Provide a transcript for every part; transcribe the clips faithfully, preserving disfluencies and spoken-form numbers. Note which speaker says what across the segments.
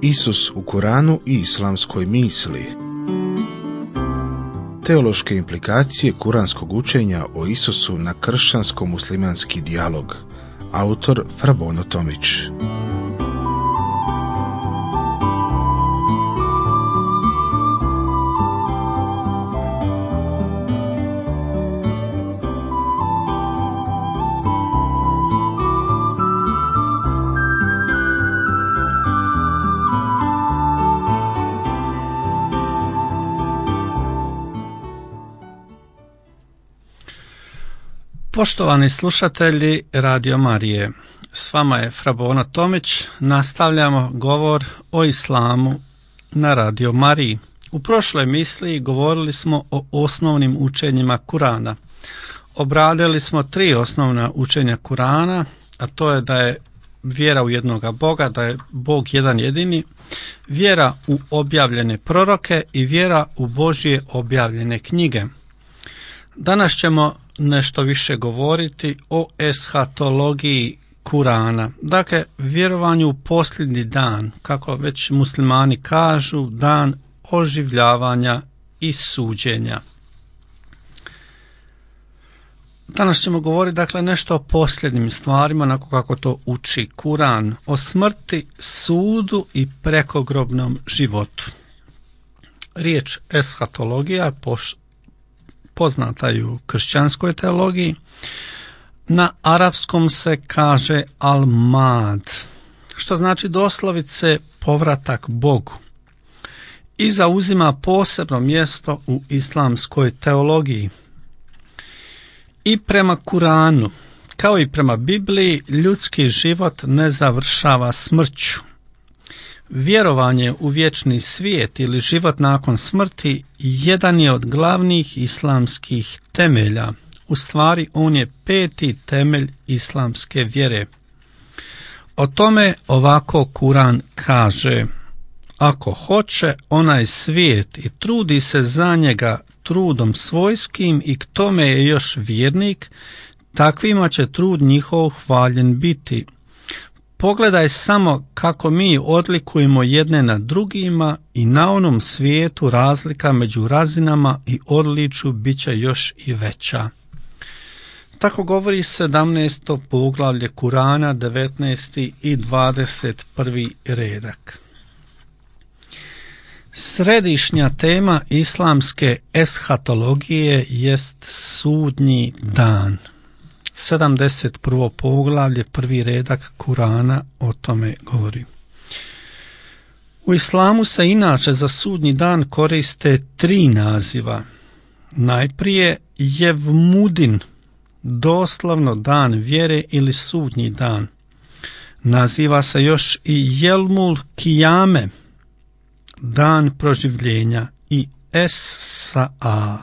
Speaker 1: Isus u Kuranu i islamskoj misli. Teološke implikacije kuranskog učenja o Isusu na kršćansko-muslimanski dijalog. Autor Frabono Tomić.
Speaker 2: Poštovani slušatelji Radio Marije, s vama je Frabono Tomić, nastavljamo govor o islamu na Radio Mariji. U prošloj emisiji govorili smo o osnovnim učenjima Kurana. Obradili smo tri osnovna učenja Kurana, a to je da je vjera u jednoga Boga, da je Bog jedan jedini, vjera u objavljene proroke i vjera u Božje objavljene knjige. Danas ćemo nešto više govoriti o eshatologiji Kurana, dakle vjerovanju u posljednji dan, kako već muslimani kažu, dan oživljavanja i suđenja. Danas ćemo govoriti dakle nešto o posljednjim stvarima, onako kako to uči Kuran, o smrti, sudu i prekogrobnom životu. Riječ eshatologija poš poznata je u kršćanskoj teologiji. Na arapskom se kaže al-mad, što znači doslovice povratak Bogu, i zauzima posebno mjesto u islamskoj teologiji. I prema Kuranu, kao i prema Bibliji, ljudski život ne završava smrću. Vjerovanje u vječni svijet ili život nakon smrti jedan je od glavnih islamskih temelja. U stvari on je peti temelj islamske vjere. O tome ovako Kuran kaže: ako hoće onaj svijet i trudi se za njega trudom svojskim i k tome je još vjernik, takvima će trud njihov hvaljen biti. Pogledaj samo kako mi odlikujemo jedne na drugima i na onom svijetu razlika među razinama i odličju bit će još i veća. Tako govori sedamnaesto poglavlje Kurana, devetnaesti i dvadeset prvi redak. Središnja tema islamske eshatologije jest sudnji dan. sedamdeset prvo poglavlje, prvi redak Kurana o tome govori. U islamu se inače za sudnji dan koriste tri naziva. Najprije Jevmudin, doslovno dan vjere ili sudnji dan. Naziva se još i Jelmul Kijame, dan proživljenja, i Es-Sa'a.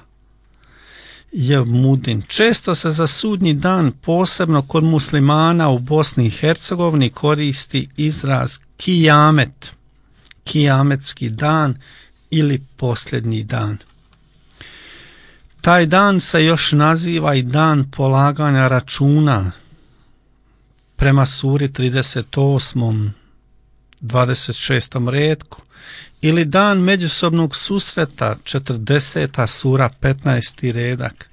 Speaker 2: Jevmudin. Često se za sudnji dan, posebno kod muslimana u Bosni i Hercegovini, koristi izraz kijamet, kijametski dan ili posljednji dan. Taj dan se još naziva i dan polaganja računa, prema suri trideset osmom dvadeset šestom retku, ili dan međusobnog susreta, četrdeseta sura petnaesti redak,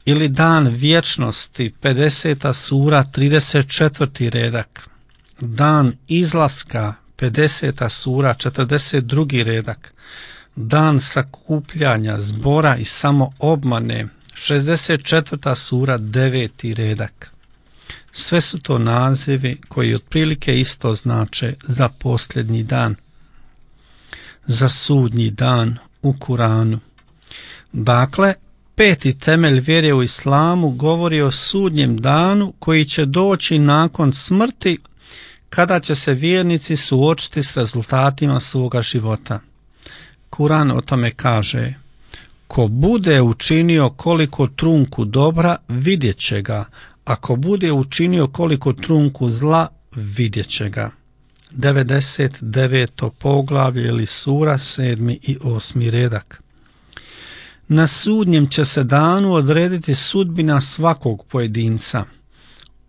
Speaker 2: ili dan vječnosti, pedeseta sura trideset četvrti redak, dan izlaska, pedeseta sura četrdeset drugi redak, dan sakupljanja, zbora i samoobmane, šezdeset četvrta sura deveti redak. Sve su to nazivi koji otprilike isto znače za posljednji dan, za sudnji dan u Kuranu. Dakle, peti temelj vjere u islamu govori o sudnjem danu koji će doći nakon smrti, kada će se vjernici suočiti s rezultatima svoga života. Kuran o tome kaže: ko bude učinio koliko trunku dobra, vidjet će ga, ako bude učinio koliko trunku zla, vidjet će ga. devedeset deveto poglavlje ili sura, sedmi i osmi redak. Na sudnjem će se danu odrediti sudbina svakog pojedinca.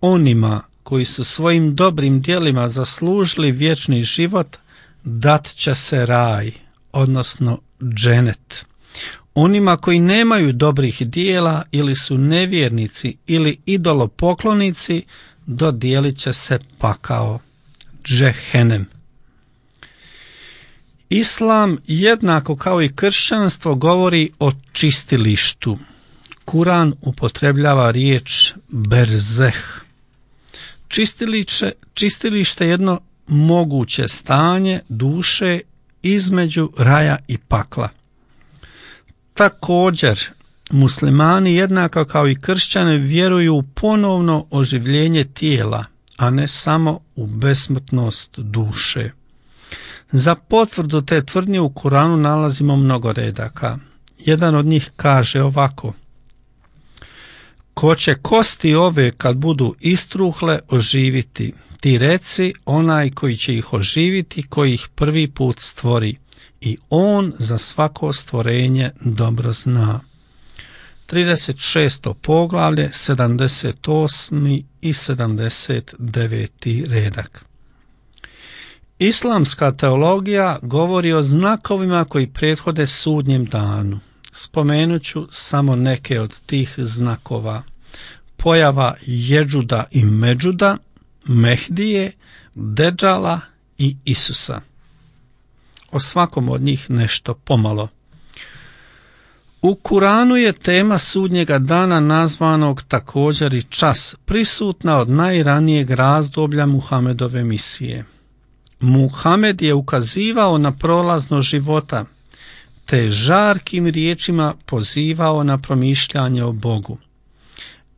Speaker 2: Onima koji su svojim dobrim djelima zaslužili vječni život, dat će se raj, odnosno dženet. Onima koji nemaju dobrih dijela ili su nevjernici ili idolopoklonici, dodijelit će se pakao, džehenem. Islam, jednako kao i kršćanstvo, govori o čistilištu. Kuran upotrebljava riječ berzeh. Čistilište, čistilište je jedno moguće stanje duše između raja i pakla. Također, muslimani, jednako kao i kršćani, vjeruju u ponovno oživljenje tijela, a ne samo u besmrtnost duše. Za potvrdu te tvrdnje u Kuranu nalazimo mnogo redaka. Jedan od njih kaže ovako: ko će kosti ove kad budu istruhle oživiti, ti reci onaj koji će ih oživiti, koji ih prvi put stvori, i on za svako stvorenje dobro zna. trideset šesto poglavlje, sedamdeset osmi i sedamdeset deveti redak. Islamska teologija govori o znakovima koji prethode sudnjem danu. Spomenut ću samo neke od tih znakova. Pojava Jedžuda i Međuda, Mehdije, Dedžala i Isusa. O svakom od njih nešto pomalo. U Kuranu je tema sudnjega dana, nazvanog također i čas, prisutna od najranijeg razdoblja Muhamedove misije. Muhamed je ukazivao na prolaznost života, te žarkim riječima pozivao na promišljanje o Bogu.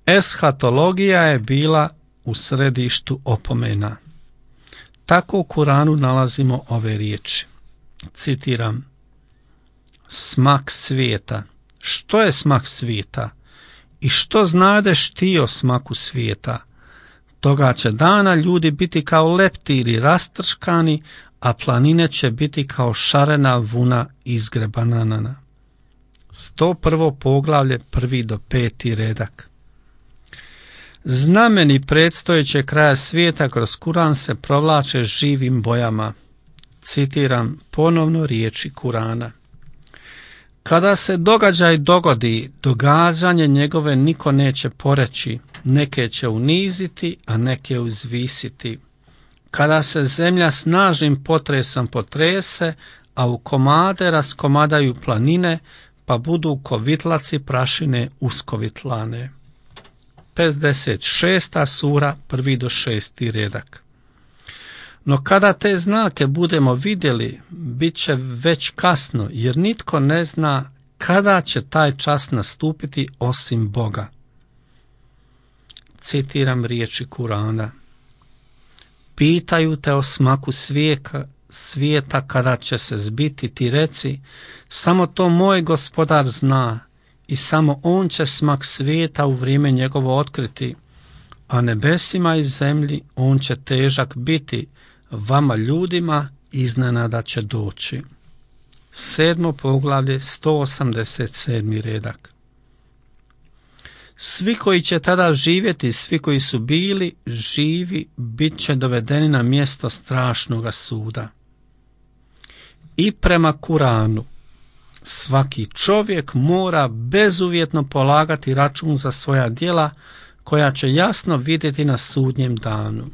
Speaker 2: Eshatologija je bila u središtu opomena. Tako u Kuranu nalazimo ove riječi. Citiram: smak svijeta. Što je smak svijeta? I što znadeš ti o smaku svijeta? Toga će dana ljudi biti kao leptiri rastrškani, a planine će biti kao šarena vuna izgrebanana. sto prvo poglavlje, prvi do peti redak. Znameni predstojećeg kraja svijeta kroz Kuran se provlače živim bojama. Citiram ponovno riječi Kurana. Kada se događaj dogodi, događanje njegove niko neće poreći, neke će uniziti, a neke uzvisiti. Kada se zemlja snažnim potresom potrese, a u komade raskomadaju planine, pa budu kovitlaci prašine uskovitlane. pedeset šesta sura, prvi do šesti redak. No kada te znake budemo vidjeli, bit će već kasno, jer nitko ne zna kada će taj čas nastupiti osim Boga. Citiram riječi Kurana. Pitaju te o smaku svijeka, svijeta kada će se zbiti, ti reci, samo to moj gospodar zna i samo on će smak svijeta u vrijeme njegovo otkriti, a nebesima i zemlji on će težak biti, vama ljudima iznenada će doći. Sedmo poglavlje, sto osamdeset sedmi redak. Svi koji će tada živjeti, svi koji su bili živi, bit će dovedeni na mjesto strašnoga suda. I prema Kuranu, svaki čovjek mora bezuvjetno polagati račun za svoja djela, koja će jasno vidjeti na sudnjem danu.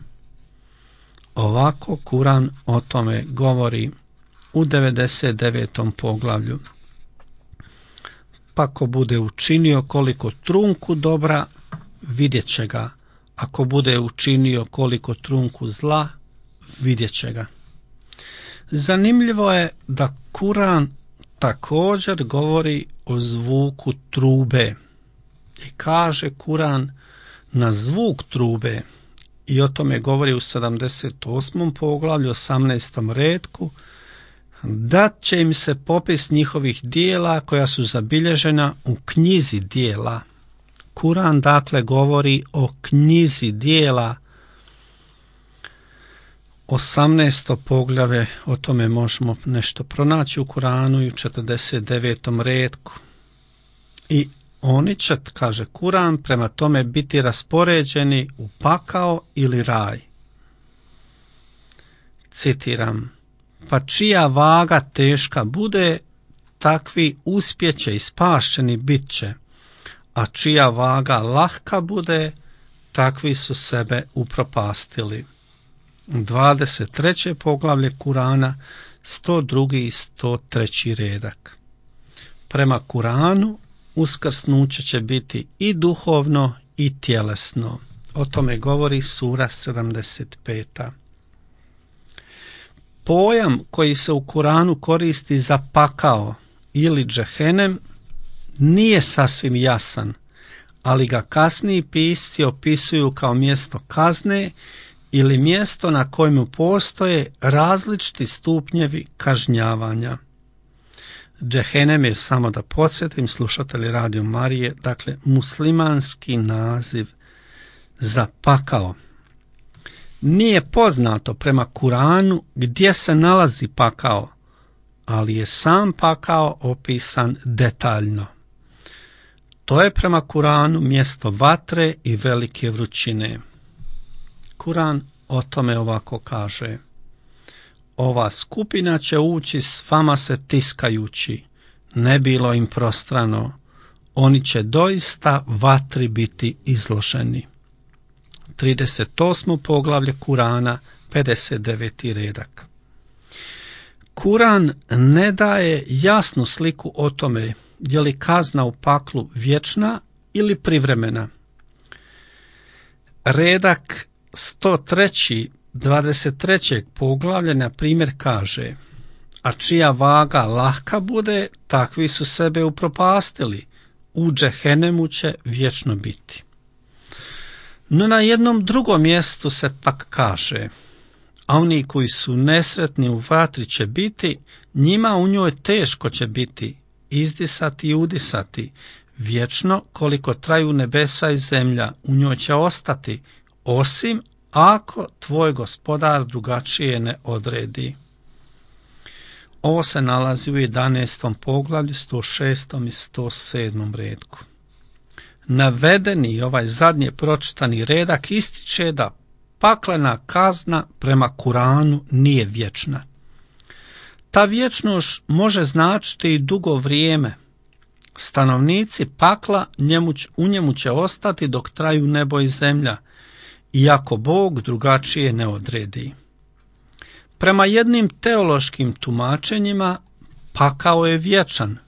Speaker 2: Ovako Kuran o tome govori u devedeset devetom poglavlju. Pa ko bude učinio koliko trunku dobra, vidjet će ga. Ako bude učinio koliko trunku zla, vidjet će ga. Zanimljivo je da Kuran također govori o zvuku trube. I kaže Kuran, na zvuk trube, i o tome govori u sedamdeset osmom poglavlju, osamnaestom redku, dat će im se popis njihovih dijela koja su zabilježena u knjizi dijela. Kuran dakle govori o knjizi dijela. osamnaesto poglavlje, o tome možemo nešto pronaći u Kuranu i u četrdeset devetom redku. I oni će, kaže Kuran, prema tome biti raspoređeni u pakao ili raj. Citiram, pa čija vaga teška bude, takvi uspjeće i spašeni bit će, a čija vaga lahka bude, takvi su sebe upropastili. dvadeset treće poglavlje Kurana, sto drugi i sto treći redak. Prema Kuranu uskrsnuće će biti i duhovno i tjelesno. O tome govori sura sedamdeset peta. Pojam koji se u Kuranu koristi za pakao ili džehenem nije sasvim jasan, ali ga kasniji pisci opisuju kao mjesto kazne ili mjesto na kojemu postoje različiti stupnjevi kažnjavanja. Džehenem je, samo da podsjetim slušatelji Radio Marije, dakle muslimanski naziv za pakao. Nije poznato prema Kuranu gdje se nalazi pakao, ali je sam pakao opisan detaljno. To je prema Kuranu mjesto vatre i velike vrućine. Kuran o tome ovako kaže: ova skupina će ući s vama se tiskajući, ne bilo im prostrano, oni će doista vatri biti izloženi. trideset osmo poglavlje Kurana, pedeset deveti redak. Kuran ne daje jasnu sliku o tome je li kazna u paklu vječna ili privremena. Redak sto tri. dvadeset trećeg poglavlja na primjer kaže: a čija vaga lahka bude, takvi su sebe upropastili, u džehennemu će vječno biti. No na jednom drugom mjestu se pak kaže: a oni koji su nesretni u vatri će biti, njima u njoj teško će biti, izdisati i udisati, vječno koliko traju nebesa i zemlja, u njoj će ostati, osim ako tvoj gospodar drugačije ne odredi. Ovo se nalazi u jedanaestom poglavlju, sto šestom i sto sedmom redku. Navedeni ovaj zadnje pročitani redak ističe da paklena kazna prema Kuranu nije vječna. Ta vječnost može značiti i dugo vrijeme. Stanovnici pakla njemu, u njemu će ostati dok traju nebo i zemlja, iako Bog drugačije ne odredi. Prema jednim teološkim tumačenjima pakao je vječan,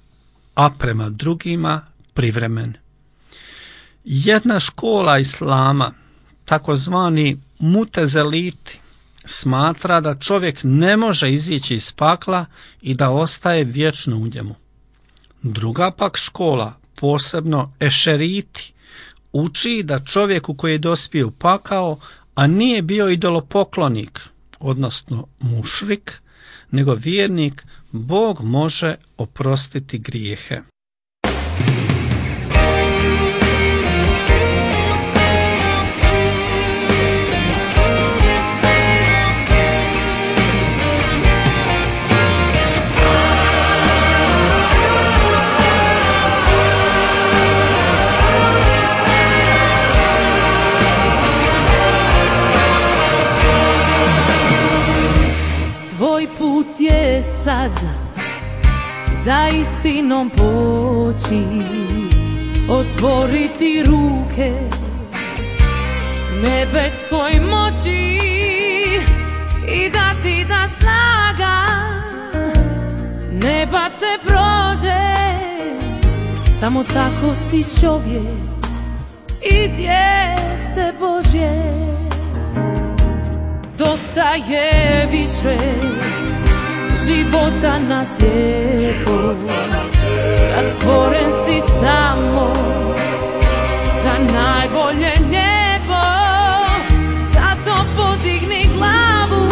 Speaker 2: a prema drugima privremen. Jedna škola islama, takozvani mutezeliti, smatra da čovjek ne može izići iz pakla i da ostaje vječno u njemu. Druga pak škola, posebno ešeriti, uči da čovjeku koji je dospio u pakao, a nije bio idolopoklonik, odnosno mušrik, nego vjernik, Bog može oprostiti grijehe.
Speaker 3: Tvoj put je sad za istinom poći, otvoriti ruke nebeskoj moći i dati da snaga neba te prođe. Samo tako si čovjek i dijete Božje. Dosta je više života na slijepo, kad stvoren si samo za najbolje nebo. Zato podigni glavu,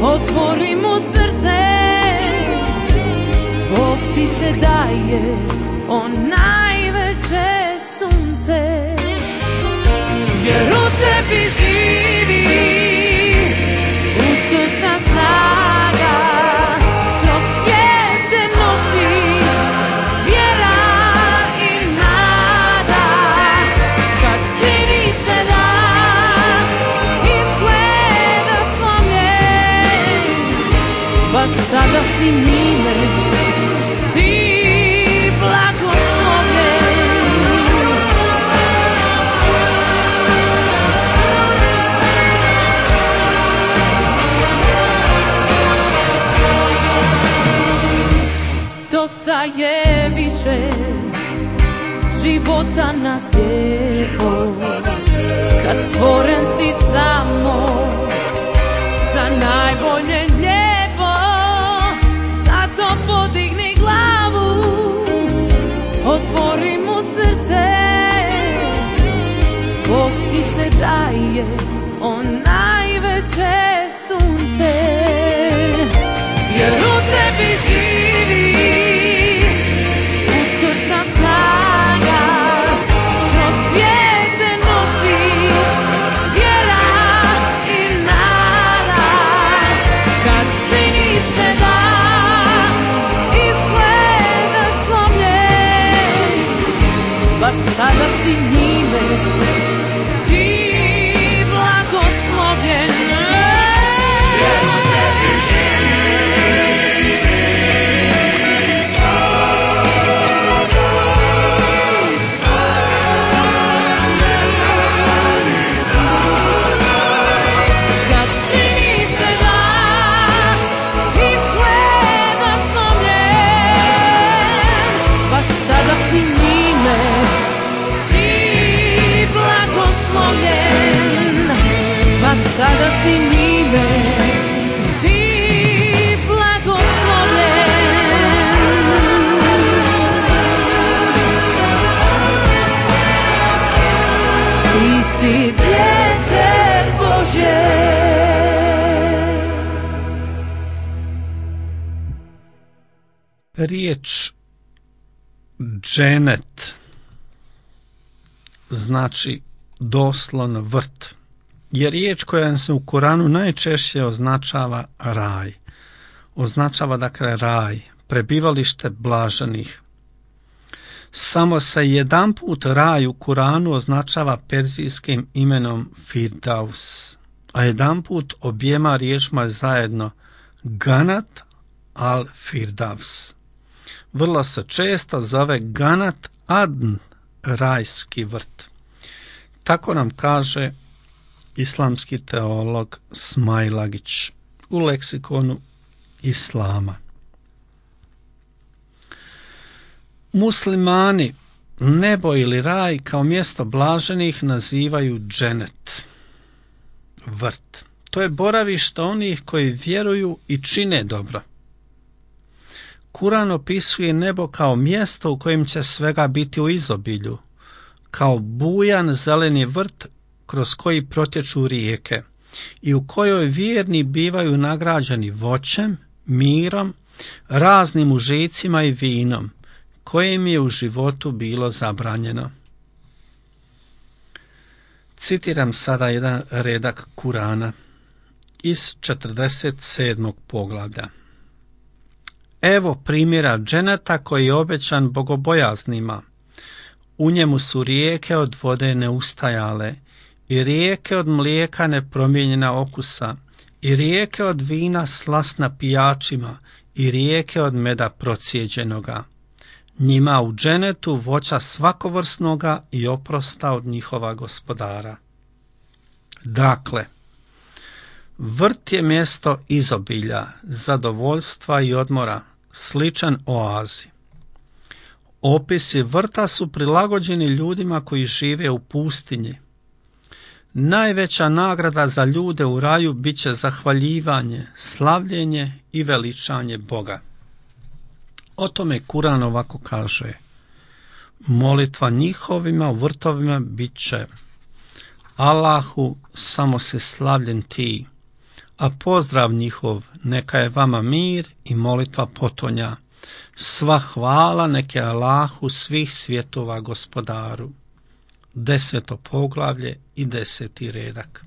Speaker 3: otvori mu srce, Bog ti se daje, on najveće sunce. Jer u tebi živi uskrsna snaga, kroz svijet te nosi vjera i nada. Kad čini se da izgleda slomljen, si njime ti blagoslovljen. Dosta je više života nas lijepo, kad stvoren si samo za najbolje lijepo. Zato podigni glavu, otvori mu srce, Bog ti se daje, on najveće sunce, jer u tebi živi uskrsna snaga, kroz svijet te nosi vjera i nada. Kad čini se da izgledaš slomljen, baš tada si njime ti blagoslovljen. Sada si njime ti blagoslovljen. Ti si dijete Božje.
Speaker 2: Riječ dženet znači doslovno vrt, je riječ koja se u Koranu najčešće označava raj. Označava dakle raj, prebivalište blaženih. Samo se jedanput raj u Koranu označava perzijskim imenom Firdaus, a jedanput objema riječima zajedno Ganat al Firdaus. Vrlo se često zove Ganat Adn, rajski vrt. Tako nam kaže islamski teolog Smailagić u leksikonu islama. Muslimani nebo ili raj kao mjesto blaženih nazivaju dženet, vrt. To je boravište onih koji vjeruju i čine dobro. Kuran opisuje nebo kao mjesto u kojem će svega biti u izobilju, kao bujan zeleni vrt kroz koji protječu rijeke i u kojoj vjerni bivaju nagrađeni voćem, mirom, raznim užicima i vinom, kojim je u životu bilo zabranjeno. Citiram sada jedan redak Kurana iz četrdeset sedmog poglavlja. Evo primjera dženeta koji je obećan bogobojaznima. U njemu su rijeke od vode neustajale, i rijeke od mlijeka nepromijenjena okusa, i rijeke od vina slasna pijačima, i rijeke od meda procijeđenoga. Njima u dženetu voća svakovrsnoga i oprosta od njihova gospodara. Dakle, vrt je mjesto izobilja, zadovoljstva i odmora, sličan oazi. Opisi vrta su prilagođeni ljudima koji žive u pustinji. Najveća nagrada za ljude u raju bit će zahvaljivanje, slavljenje i veličanje Boga. O tome Kuran ovako kaže: molitva njihovima u vrtovima bit će: Allahu, samo se slavljen ti, a pozdrav njihov neka je vama mir i molitva potonja. Sva hvala neke Allahu svih svjetova gospodaru. Deseto poglavlje i deseti redak.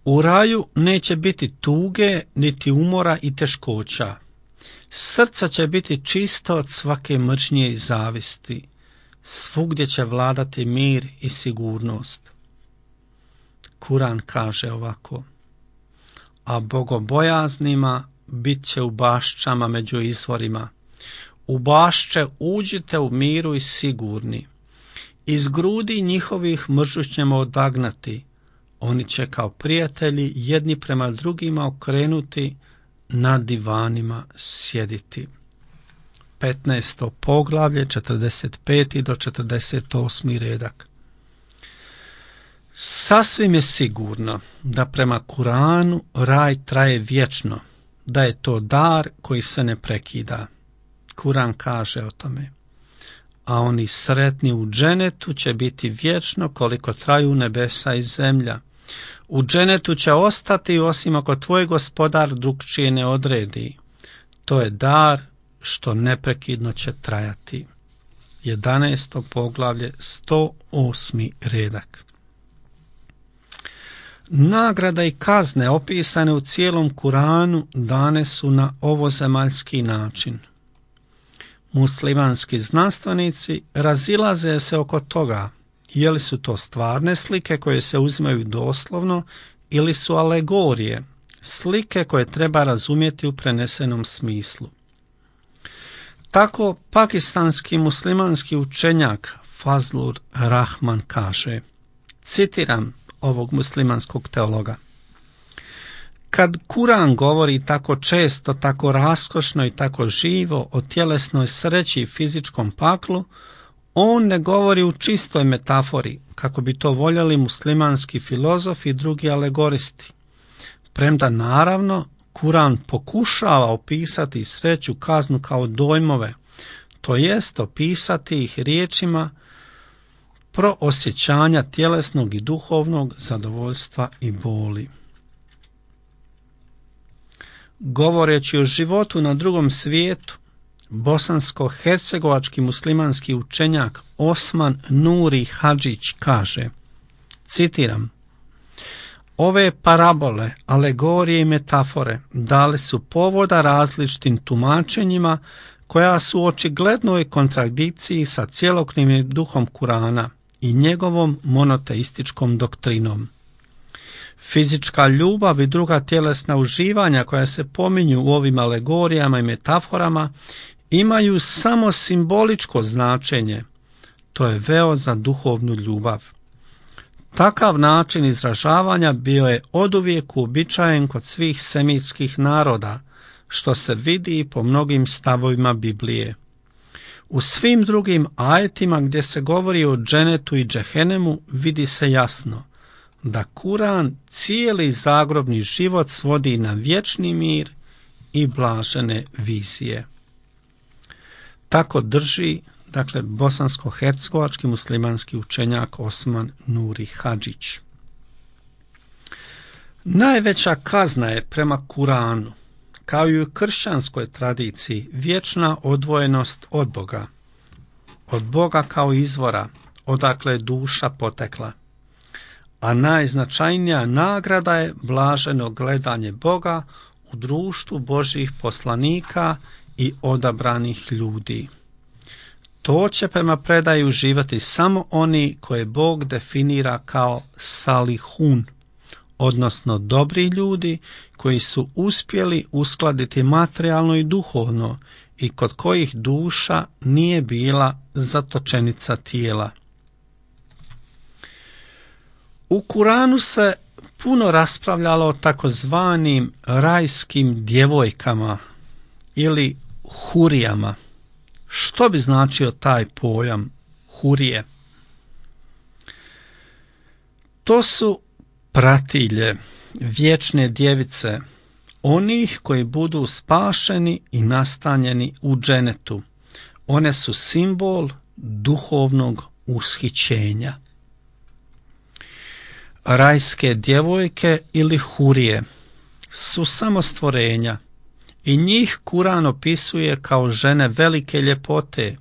Speaker 2: U raju neće biti tuge, niti umora i teškoća. Srca će biti čisto od svake mržnje i zavisti. Svugdje će vladati mir i sigurnost. Kuran kaže ovako: a bogobojaznima bit će u baščama među izvorima. U bašće uđite u miru i sigurni. Iz grudi njihovih mržu ćemo odagnati. Oni će kao prijatelji jedni prema drugima okrenuti, na divanima sjediti. petnaesto poglavlje, četrdeset peti do četrdeset osmi redak. Sasvim je sigurno da prema Kuranu raj traje vječno, da je to dar koji se ne prekida. Kuran kaže o tome. A oni sretni u dženetu će biti vječno koliko traju nebesa i zemlja. U dženetu će ostati osim ako tvoj gospodar drugčije ne odredi. To je dar što neprekidno će trajati. jedanaesto poglavlje, sto osmi redak. Nagrada i kazne opisane u cijelom Kuranu dane su na ovozemaljski način. Muslimanski znanstvenici razilaze se oko toga je li su to stvarne slike koje se uzimaju doslovno ili su alegorije, slike koje treba razumjeti u prenesenom smislu. Tako pakistanski muslimanski učenjak Fazlur Rahman kaže, citiram ovog muslimanskog teologa: kad Kuran govori tako često, tako raskošno i tako živo o tjelesnoj sreći i fizičkom paklu, on ne govori u čistoj metafori, kako bi to voljeli muslimanski filozofi i drugi alegoristi. Premda naravno Kuran pokušava opisati sreću, kaznu kao dojmove, to jest opisati ih riječima proosjećanja tjelesnog i duhovnog zadovoljstva i boli. Govoreći o životu na drugom svijetu, bosansko-hercegovački muslimanski učenjak Osman Nuri Hadžić kaže, citiram: ove parabole, alegorije i metafore dali su povoda različitim tumačenjima koja su u očiglednoj kontradikciji sa cjelokupnim duhom Kurana i njegovom monoteističkom doktrinom. Fizička ljubav i druga tjelesna uživanja koja se pominju u ovim alegorijama i metaforama imaju samo simboličko značenje. To je veo za duhovnu ljubav. Takav način izražavanja bio je oduvijek uobičajen kod svih semitskih naroda, što se vidi i po mnogim stavovima Biblije. U svim drugim ajetima gdje se govori o dženetu i džehennemu vidi se jasno da Kuran cijeli zagrobni život svodi na vječni mir i blažene vizije. Tako drži, dakle, bosansko-hercegovački muslimanski učenjak Osman Nuri Hadžić. Najveća kazna je prema Kuranu, kao i u kršćanskoj tradiciji, vječna odvojenost od Boga, od Boga kao izvora, odakle je duša potekla. A najznačajnija nagrada je blaženo gledanje Boga u društvu Božjih poslanika i odabranih ljudi. To će prema predaju uživati samo oni koje Bog definira kao salihun, odnosno dobri ljudi koji su uspjeli uskladiti materijalno i duhovno i kod kojih duša nije bila zatočenica tijela. U Kuranu se puno raspravljalo o takozvanim rajskim djevojkama ili hurijama. Što bi značio taj pojam hurije? To su pratilje, vječne djevice, onih koji budu spašeni i nastanjeni u dženetu. One su simbol duhovnog ushićenja. Rajske djevojke ili hurije su samo stvorenja i njih Kuran opisuje kao žene velike ljepote,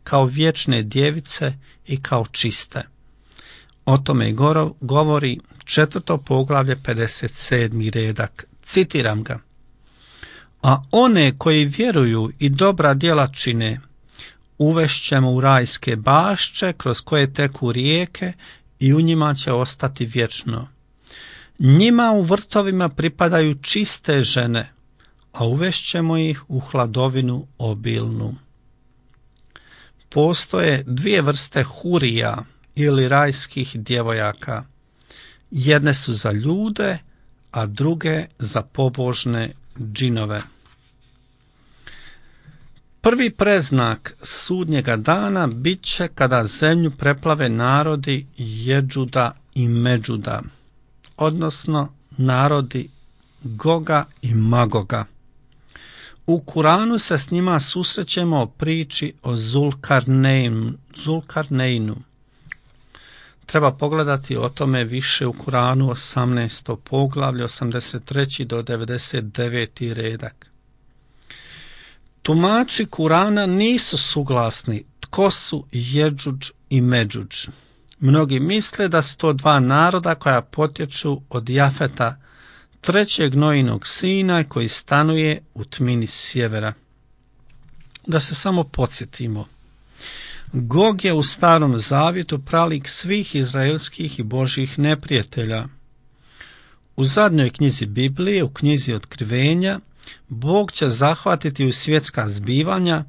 Speaker 2: kao vječne djevice i kao čiste. O tome govori četvrto poglavlje pedeset sedmi redak. Citiram ga: a one koji vjeruju i dobra djela čine, uvešćemo u rajske bašće kroz koje teku rijeke i u njima će ostati vječno. Njima u vrtovima pripadaju čiste žene, a uvešćemo ih u hladovinu obilnu. Postoje dvije vrste hurija ili rajskih djevojaka. Jedne su za ljude, a druge za pobožne džinove. Prvi preznak sudnjega dana bit će kada zemlju preplave narodi Jedžuda i Međuda, odnosno narodi Goga i Magoga. U Kuranu se s njima susrećemo o priči o Zulkarneinu. Zulkarneinu. Treba pogledati o tome više u Kuranu osamnaesto poglavlje, osamdeset treći do devedeset deveti redak. Tumači Kurana nisu suglasni tko su Jedžudž i Međudž. Mnogi misle da su to dva naroda koja potječu od Jafeta, trećeg Nojinog sina koji stanuje u tmini sjevera. Da se samo podsjetimo. Gog je u Starom zavjetu pralik svih izraelskih i božjih neprijatelja. U zadnjoj knjizi Biblije, u knjizi Otkrivenja, Bog će zahvatiti u svjetska zbivanja,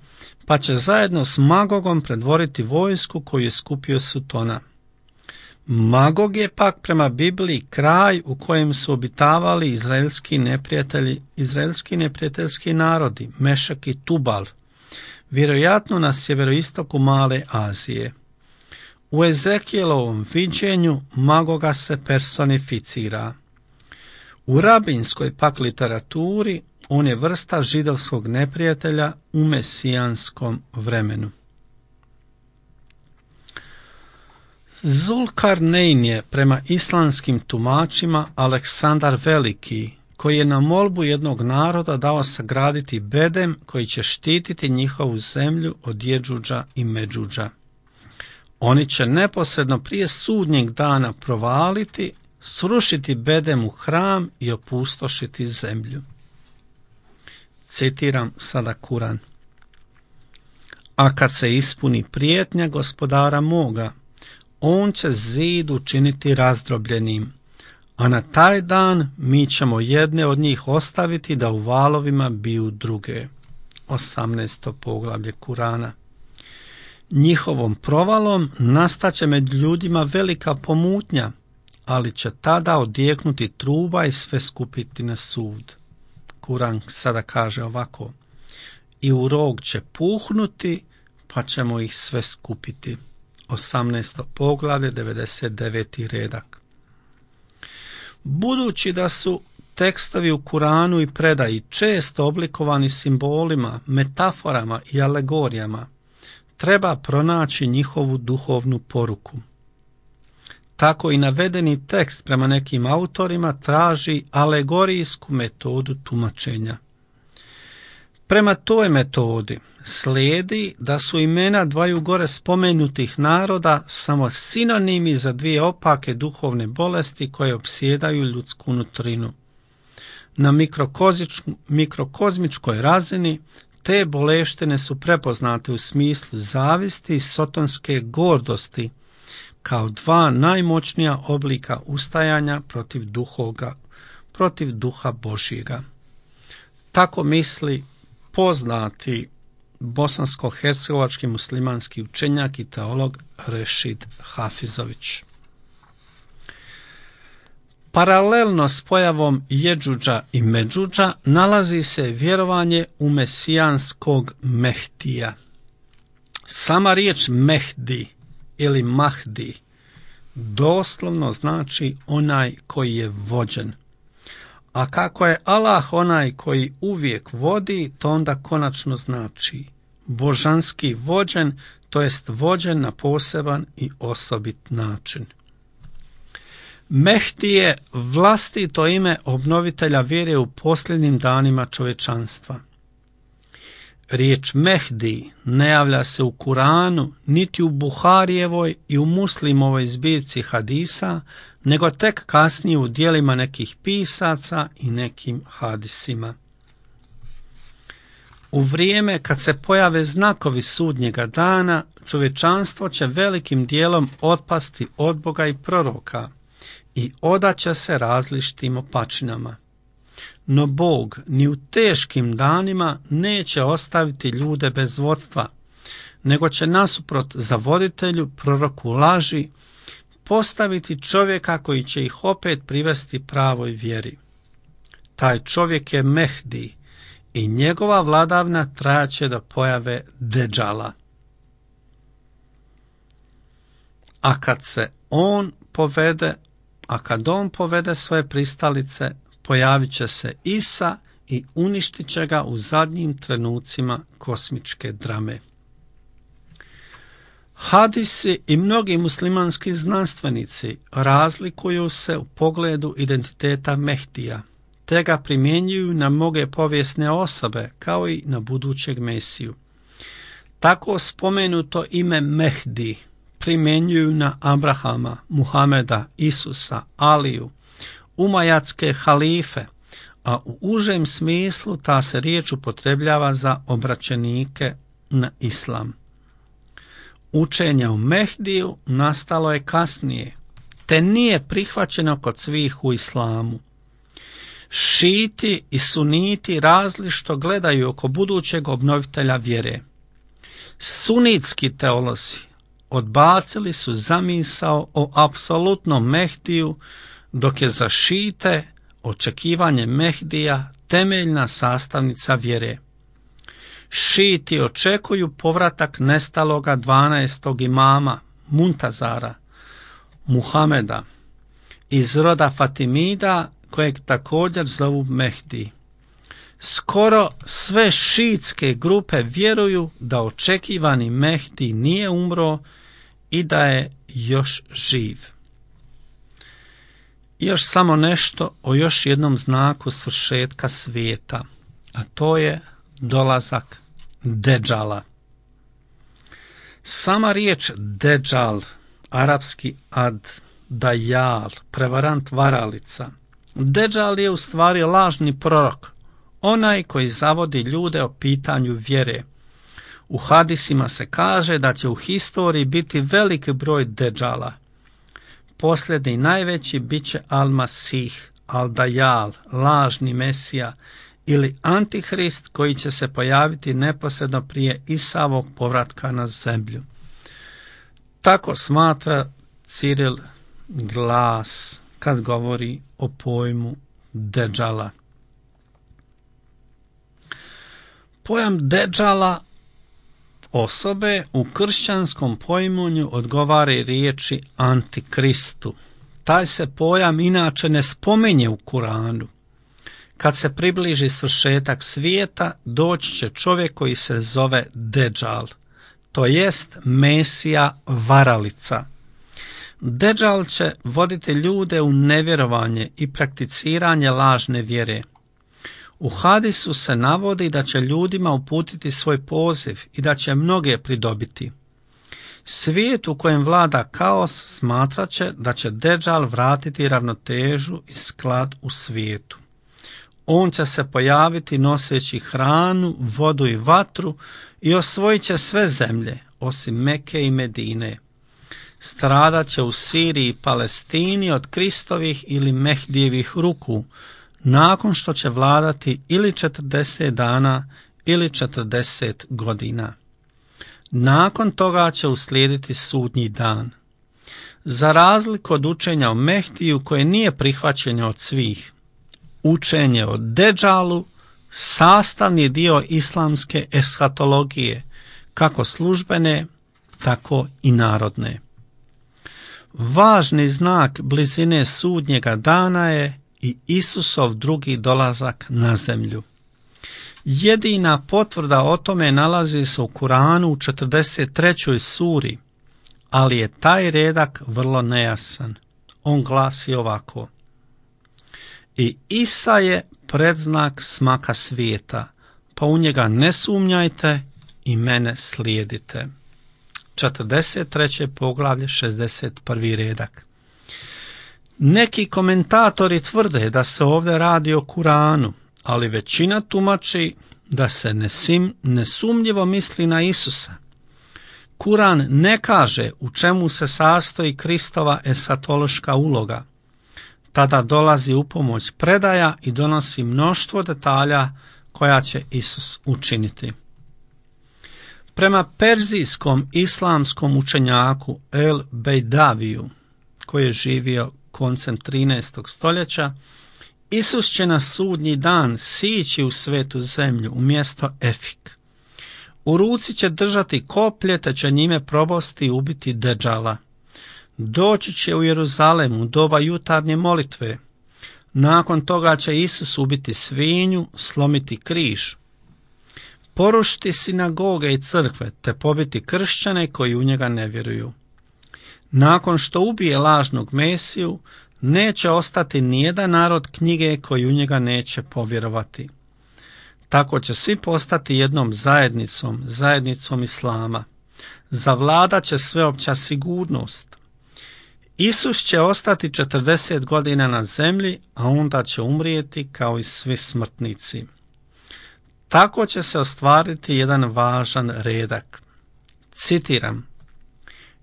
Speaker 2: pa će zajedno s Magogom predvoriti vojsku koju je skupio Sutona. Magog je pak prema Bibliji kraj u kojem su obitavali izraelski neprijatelji, izraelski neprijateljski narodi, Mešak i Tubal, vjerojatno na sjeveroistoku Male Azije. U Ezekielovom viđenju Magoga se personificira. U rabinskoj pak literaturi on je vrsta židovskog neprijatelja u mesijanskom vremenu. Zulkarnein je prema islamskim tumačima Aleksandar Veliki, koji je na molbu jednog naroda dao sagraditi bedem koji će štititi njihovu zemlju od Jedžudža i Međudža. Oni će neposredno prije sudnjeg dana provaliti, srušiti bedem u hram i opustošiti zemlju. Citiram sada Kuran. A kad se ispuni prijetnja gospodara moga, on će zid učiniti razdrobljenim, a na taj dan mi ćemo jedne od njih ostaviti da u valovima biju druge. osamnaesto poglavlje Kurana. Njihovom provalom nastaće među ljudima velika pomutnja, ali će tada odjeknuti truba i sve skupiti na sud. Kuran sada kaže ovako: i u rog će puhnuti, pa ćemo ih sve skupiti. osamnaesto poglavlje, devedeset deveti redak. Budući da su tekstovi u Kuranu i predaji često oblikovani simbolima, metaforama i alegorijama, treba pronaći njihovu duhovnu poruku. Tako i navedeni tekst prema nekim autorima traži alegorijsku metodu tumačenja. Prema toj metodi slijedi da su imena dvaju gore spomenutih naroda samo sinonimi za dvije opake duhovne bolesti koje opsjedaju ljudsku nutrinu. Na mikrokozmičkoj razini te bolešćine su prepoznate u smislu zavisti i sotonske gordosti kao dva najmoćnija oblika ustajanja protiv duhoga, protiv duha Božjega. Tako misli poznati bosansko-hercegovački muslimanski učenjak i teolog Rešid Hafizović. Paralelno s pojavom Jedžudža i Međudža nalazi se vjerovanje u mesijanskog Mehdija. Sama riječ Mehdi ili Mahdi doslovno znači onaj koji je vođen. A kako je Allah onaj koji uvijek vodi, to onda konačno znači božanski vođen, to jest vođen na poseban i osobit način. Mehdi je vlastito ime obnovitelja vjere u posljednjim danima čovječanstva. Riječ Mehdi ne javlja se u Kuranu, niti u Buharijevoj i u Muslimovoj zbirci hadisa, nego tek kasnije u djelima nekih pisaca i nekim hadisima. U vrijeme kad se pojave znakovi sudnjega dana, čovječanstvo će velikim dijelom otpasti od Boga i proroka i odaće se različitim opačinama. No Bog ni u teškim danima neće ostaviti ljude bez vodstva, nego će nasuprot zavoditelju, proroku laži, postaviti čovjeka koji će ih opet privesti pravoj vjeri. Taj čovjek je Mehdi i njegova vladavna trajaće do pojave Dedžala. A kad se on povede, a kad on povede svoje pristalice, pojavit će se Isa i uništit će ga u zadnjim trenucima kosmičke drame. Hadisi i mnogi muslimanski znanstvenici razlikuju se u pogledu identiteta Mehdija, te ga primjenjuju na mnoge povijesne osobe kao i na budućeg Mesiju. Tako spomenuto ime Mehdi primjenjuju na Abrahama, Muhameda, Isusa, Aliju, umajatske halife, a u užem smislu ta se riječ upotrebljava za obraćenike na islam. Učenje o Mehdiju nastalo je kasnije, te nije prihvaćeno kod svih u islamu. Šiti i suniti različito gledaju oko budućeg obnovitelja vjere. Sunitski teolozi odbacili su zamisao o apsolutnom Mehdiju, dok je za šite očekivanje Mehdija temeljna sastavnica vjere. Šiti očekuju povratak nestaloga dvanaestog imama Muntazara, Muhameda, iz roda Fatimida, kojeg također zovu Mehdi. Skoro sve šiitske grupe vjeruju da očekivani Mehdi nije umro i da je još živ. I još samo nešto o još jednom znaku svršetka svijeta, a to je dolazak Dedžala. Sama riječ Dedžal, arapski ad dajal, prevarant varalica. Dedžal je u stvari lažni prorok, onaj koji zavodi ljude o pitanju vjere. U hadisima se kaže da će u historiji biti veliki broj Dedžala. Posljednji najveći bit će Al-Masih, Al-Dajjal, lažni Mesija ili Antihrist koji će se pojaviti neposredno prije Isavog povratka na zemlju. Tako smatra Ciril Glas kad govori o pojmu Dedžala. Pojam Dedžala osobe u kršćanskom pojmunju odgovara riječi Antikristu. Taj se pojam inače ne spominje u Kuranu. Kad se približi svršetak svijeta, doći će čovjek koji se zove Dedžal, to jest Mesija varalica. Dedžal će voditi ljude u nevjerovanje i prakticiranje lažne vjere. U hadisu se navodi da će ljudima uputiti svoj poziv i da će mnoge pridobiti. Svijet u kojem vlada kaos smatrat će da će Dedžal vratiti ravnotežu i sklad u svijetu. On će se pojaviti noseći hranu, vodu i vatru i osvojit će sve zemlje, osim Meke i Medine. Stradat će u Siriji i Palestini od Kristovih ili Mehdijevih ruku, nakon što će vladati ili četrdeset dana ili četrdeset godina. Nakon toga će uslijediti sudnji dan. Za razliku od učenja o Mehdiju koje nije prihvaćeno od svih, učenje o Dedžalu sastavni dio islamske eshatologije, kako službene, tako i narodne. Važni znak blizine sudnjega dana je i Isusov drugi dolazak na zemlju. Jedina potvrda o tome nalazi se u Kuranu u četrdeset trećoj suri, ali je taj redak vrlo nejasan. On glasi ovako: I Isa je predznak smaka svijeta, pa u njega ne sumnjajte i mene slijedite. četrdeset treće poglavlje, šezdeset prvi redak. Neki komentatori tvrde da se ovdje radi o Kuranu, ali većina tumači da se nesim, nesumnjivo misli na Isusa. Kuran ne kaže u čemu se sastoji Kristova esatološka uloga. Tada dolazi u pomoć predaja i donosi mnoštvo detalja koja će Isus učiniti. Prema perzijskom islamskom učenjaku El Bejdaviju, koji je živio koncem trinaestog stoljeća, Isus će na sudnji dan sići u svetu zemlju u mjesto Efik. U ruci će držati koplje te će njime probosti i ubiti Dedžala. Doći će u Jeruzalem u doba jutarnje molitve. Nakon toga će Isus ubiti svinju, slomiti križ, porušiti sinagoge i crkve te pobiti kršćane koji u njega ne vjeruju. Nakon što ubije lažnog Mesiju, neće ostati nijedan narod knjige koji u njega neće povjerovati. Tako će svi postati jednom zajednicom, zajednicom Islama. Zavladat će sveopća sigurnost. Isus će ostati četrdeset godina na zemlji, a onda će umrijeti kao i svi smrtnici. Tako će se ostvariti jedan važan redak. Citiram: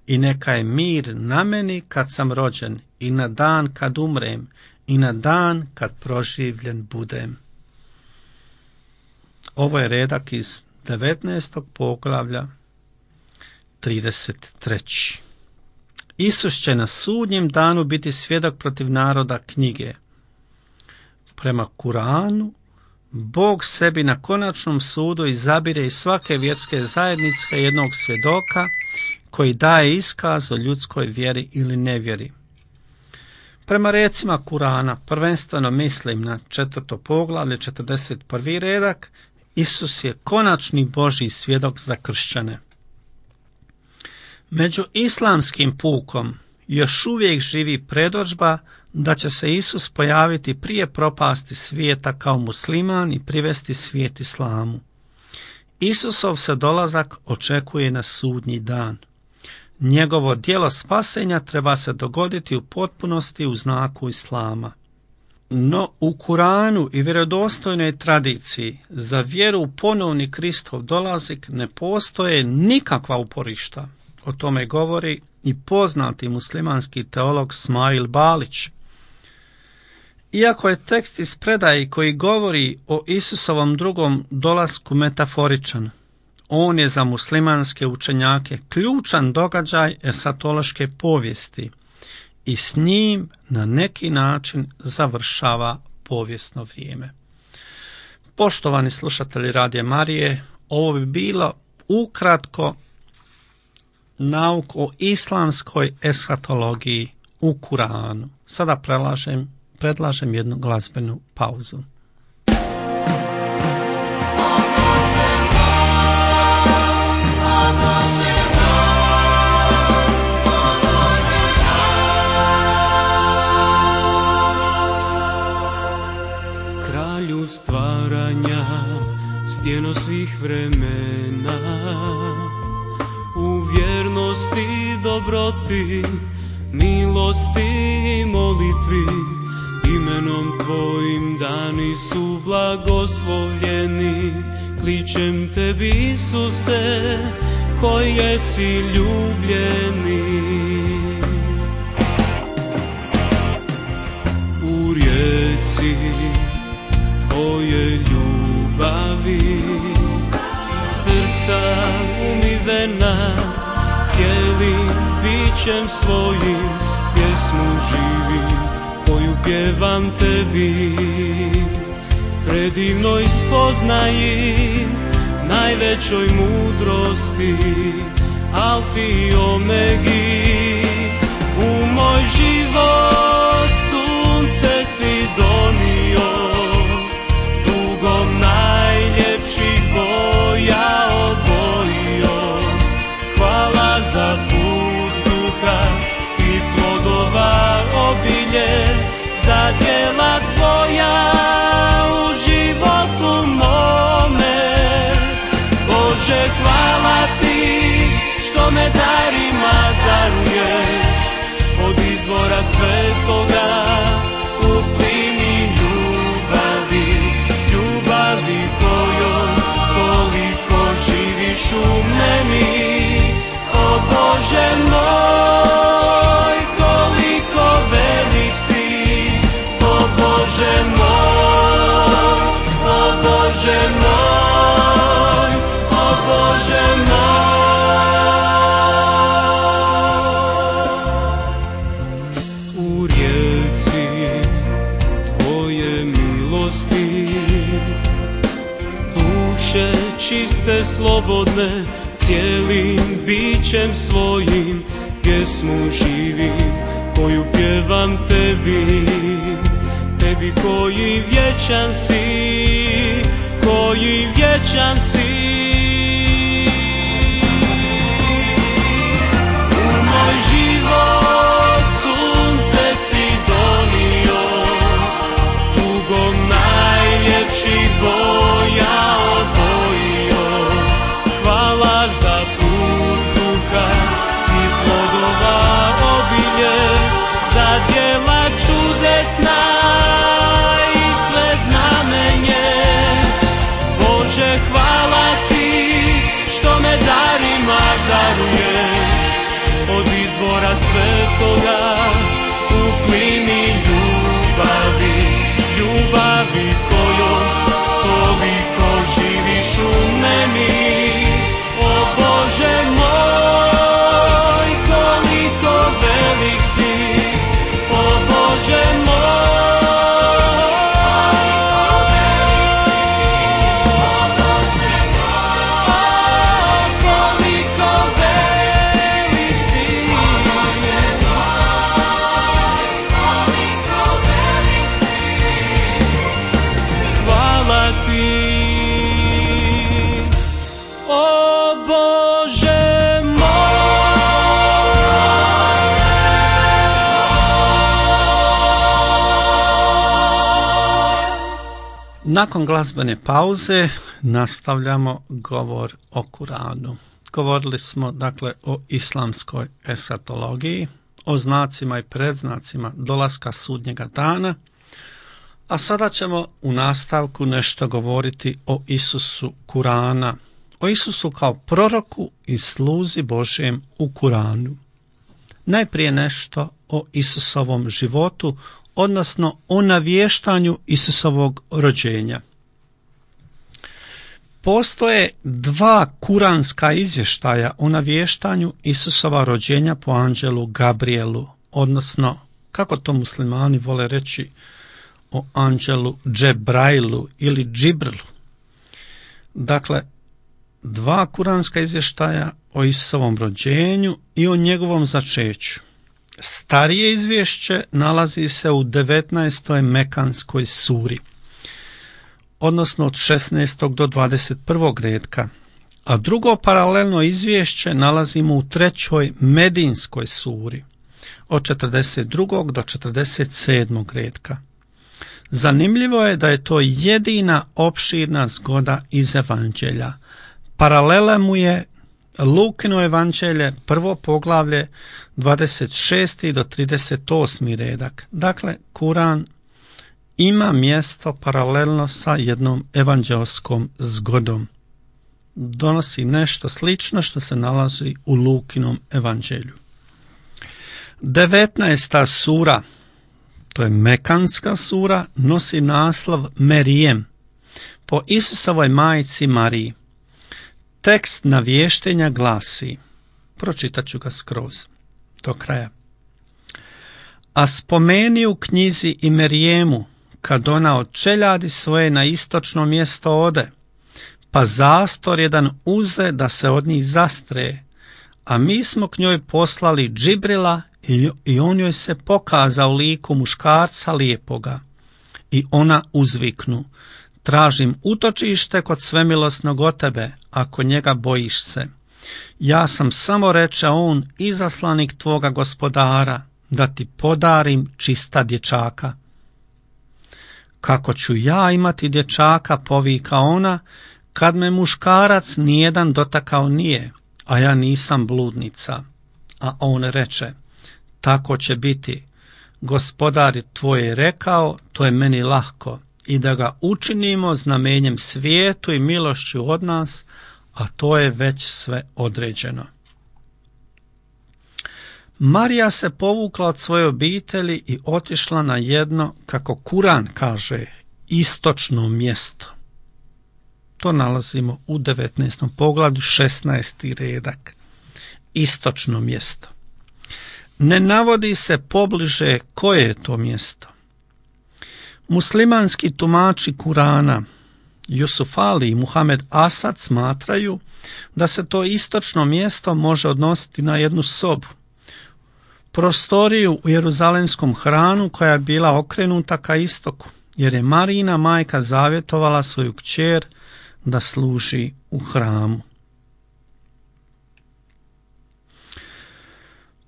Speaker 2: "I neka je mir na meni kad sam rođen, i na dan kad umrem, i na dan kad proživljen budem." Ovo je redak iz devetnaestog poglavlja, trideset treći Isus će na sudnjem danu biti svjedok protiv naroda knjige. Prema Kuranu, Bog sebi na konačnom sudu izabire iz svake vjerske zajednice jednog svjedoka koji daje iskaz o ljudskoj vjeri ili nevjeri. Prema recima Kurana, prvenstveno mislim na četvrto poglavlje, četrdeset prvi redak, Isus je konačni Božji svjedok za kršćane. Među islamskim pukom još uvijek živi predodžba da će se Isus pojaviti prije propasti svijeta kao musliman i privesti svijet islamu. Isusov se dolazak očekuje na sudnji dan. Njegovo djelo spasenja treba se dogoditi u potpunosti u znaku islama. No u Kuranu i vjerodostojnoj tradiciji za vjeru u ponovni Kristov dolazak ne postoje nikakva uporišta. O tome govori i poznati muslimanski teolog Smail Balić. Iako je tekst iz predaje koji govori o Isusovom drugom dolasku metaforičan, on je za muslimanske učenjake ključan događaj esatološke povijesti i s njim na neki način završava povijesno vrijeme. Poštovani slušatelji Radija Marije, ovo bi bilo ukratko nauk o islamskoj eshatologiji u Kuranu. Sada predlažem, predlažem jednu glazbenu pauzu.
Speaker 4: Kralju stvaranja, stjeno svih vremena, u vjernosti, dobroti, milosti i molitvi, imenom Tvojim dani su blagoslovljeni. Kličem Tebi, Isuse, koji jesi ljubljeni. U rijeci Tvoje ljubavi, srca umivena, cijelim bićem svojim pjesmu živim, koju pjevam Tebi. Predivnoj spoznaji, najvećoj mudrosti, Alfi i Omegi. U moj život sunce si donio, dugom najljepših boja obojio. Hvala za put duha i plodova obilje, za djela Tvoja u životu mome. Bože, hvala Ti što me darima daruješ, od izvora svetoga u plimi ljubavi, ljubavi kojom toliko živiš u meni. O Bože moj, koliko velik si, ste slobodne, cijelim bićem svojim, pjesmu živim koju pjevam tebi, tebi koji vječan si, koji vječan si. U moj život sunce si donio, tugom najljepši boja obojio. Hvala za put duha i plodova obilje, za djela čudesna i sve znamenje. Bože, hvala ti što me darima daruješ, od izvora svetoga u plini ljubavi, ljubavi kojom toliko živiš u meni. O Bože moj, koliko velik si, o Bože moj, koliko velik si, o Bože moj, koliko velik si, o Bože moj, koliko velik si. Hvala ti, o Bože moj.
Speaker 2: Nakon glazbene pauze nastavljamo govor o Kuranu. Govorili smo dakle o islamskoj esatologiji, o znacima i predznacima dolaska sudnjega dana, a sada ćemo u nastavku nešto govoriti o Isusu Kurana, o Isusu kao proroku i sluzi Božjem u Kuranu. Najprije nešto o Isusovom životu, odnosno o navještanju Isusovog rođenja. Postoje dva kuranska izvještaja o navještanju Isusova rođenja po anđelu Gabrielu, odnosno, kako to muslimani vole reći, o anđelu Džebrailu ili Džibrilu. Dakle, dva kuranska izvještaja o Isusovom rođenju i o njegovom začeću. Starije izvješće nalazi se u devetnaestoj mekanskoj suri, odnosno od šesnaestog do dvadeset prvog redka, a drugo paralelno izvješće nalazimo u trećoj medinskoj suri, od četrdeset drugog do četrdeset sedmog redka. Zanimljivo je da je to jedina opširna zgoda iz evanđelja. Paralela mu je Lukino evanđelje, prvo poglavlje, dvadeset šesti do trideset osmi redak. Dakle, Kuran ima mjesto paralelno sa jednom evanđelskom zgodom. Donosi nešto slično što se nalazi u Lukinom evanđelju. devetnaesta sura, to je mekanska sura, nosi naslov Merijem, po Isusovoj majci Mariji. Tekst navještenja glasi, pročitat ću ga skroz do kraja. A spomeni u knjizi i Merijemu, kad ona od čeljadi svoje na istočno mjesto ode, pa zastor jedan uze da se od njih zastre, a mi smo k njoj poslali Džibrila i on joj se pokaza u liku muškarca lijepoga. I ona uzviknu, tražim utočište kod svemilosnog od tebe, ako njega bojiš se. Ja sam samo, reče on, izaslanik tvoga gospodara, da ti podarim čista dječaka. Kako ću ja imati dječaka, povika ona, kad me muškarac nijedan dotakao nije, a ja nisam bludnica. A on reče, tako će biti. Gospodar tvoj je rekao, to je meni lahko, i da ga učinimo znamenjem svijetu i milošću od nas, a to je već sve određeno. Marija se povukla od svoje obitelji i otišla na jedno, kako Kuran kaže, istočno mjesto. To nalazimo u devetnaestom poglavlju, šesnaesti redak. Istočno mjesto. Ne navodi se pobliže koje je to mjesto. Muslimanski tumači Kurana Jusuf Ali i Muhamed Asad smatraju da se to istočno mjesto može odnositi na jednu sobu, prostoriju u Jeruzalemskom hranu koja je bila okrenuta ka istoku, jer je Marijina majka zavjetovala svoju kćer da služi u hramu.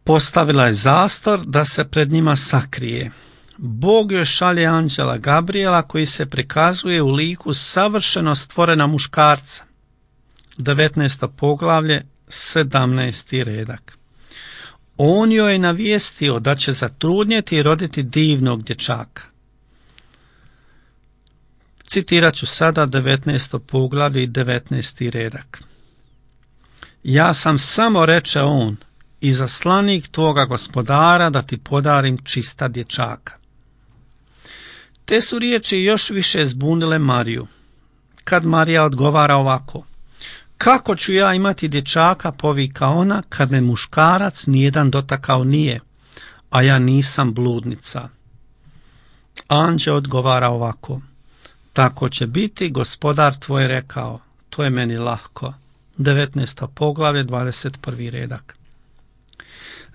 Speaker 2: Postavila je zastor da se pred njima sakrije. Bog joj šalje anđela Gabriela koji se prikazuje u liku savršeno stvorena muškarca. devetnaesto poglavlje, sedamnaesti redak. On joj je navijestio da će zatrudnjeti i roditi divnog dječaka. Citirat ću sada devetnaesto poglavlje i devetnaesti redak. Ja sam samo, reče on, izaslanik tvoga gospodara da ti podarim čista dječaka. Te su riječi još više zbunile Mariju. Kad Marija odgovara ovako: kako ću ja imati dječaka, povika ona, kad me muškarac nijedan dotakao nije, a ja nisam bludnica. Anđeo odgovara ovako: tako će biti, gospodar tvoj rekao, to je meni lahko. devetnaesto poglavlje, dvadeset prvi redak.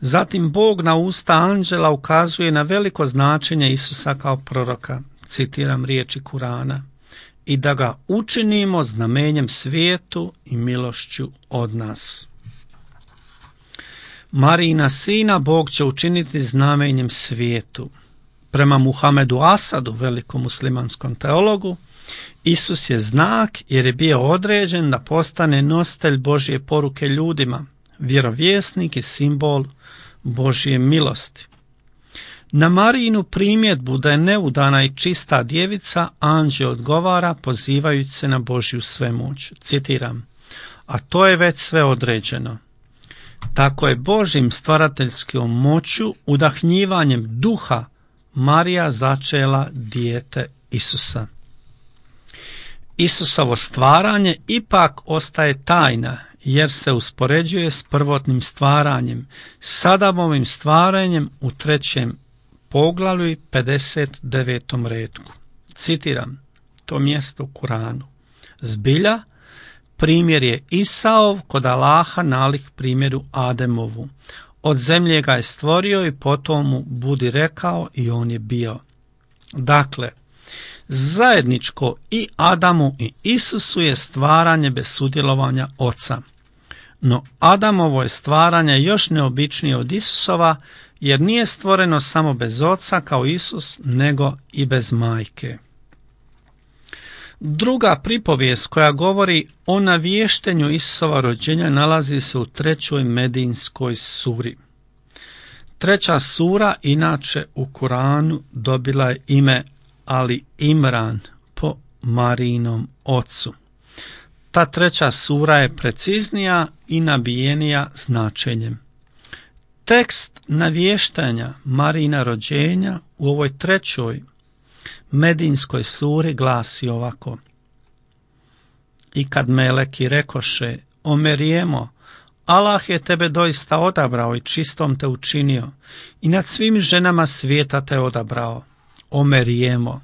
Speaker 2: Zatim Bog na usta anđela ukazuje na veliko značenje Isusa kao proroka, citiram riječi Kurana, i da ga učinimo znamenjem svijetu i milošću od nas. Marijina sina Bog će učiniti znamenjem svijetu. Prema Muhamedu Asadu, velikom muslimanskom teologu, Isus je znak jer je bio određen da postane nositelj Božje poruke ljudima, vjerovjesnik i simbol Božje milosti. Na Marijinu primjedbu da je neudana i čista djevica, anđeo odgovara pozivajući se na Božju svemoć. Citiram: a to je već sve određeno. Tako je Božjim stvarateljskom moću, udahnjivanjem duha, Marija začela dijete Isusa. Isusovo stvaranje ipak ostaje tajna, jer se uspoređuje s prvotnim stvaranjem, s Adamovim stvaranjem u trećem poglavlju i pedeset devetom retku. Citiram to mjesto u Kuranu. Zbilja, primjer je Isaov kod Allaha nalik primjeru Ademovu. Od zemlje ga je stvorio i potom mu budi rekao i on je bio. Dakle, zajedničko i Adamu i Isusu je stvaranje bez sudjelovanja Oca. No Adamovo je stvaranje još neobičnije od Isusova, jer nije stvoreno samo bez Oca kao Isus, nego i bez majke. Druga pripovijest koja govori o navještenju Isusova rođenja nalazi se u trećoj Medinskoj suri. Treća sura inače u Kuranu dobila je ime Ali Imran po Marijinom ocu. Ta treća sura je preciznija i nabijenija značenjem. Tekst navještanja Marijina rođenja u ovoj trećoj Medinskoj suri glasi ovako: i kad meleki rekoše: o Merijemo, Allah je tebe doista odabrao i čistom te učinio i nad svim ženama svijeta te odabrao. O Merijemo,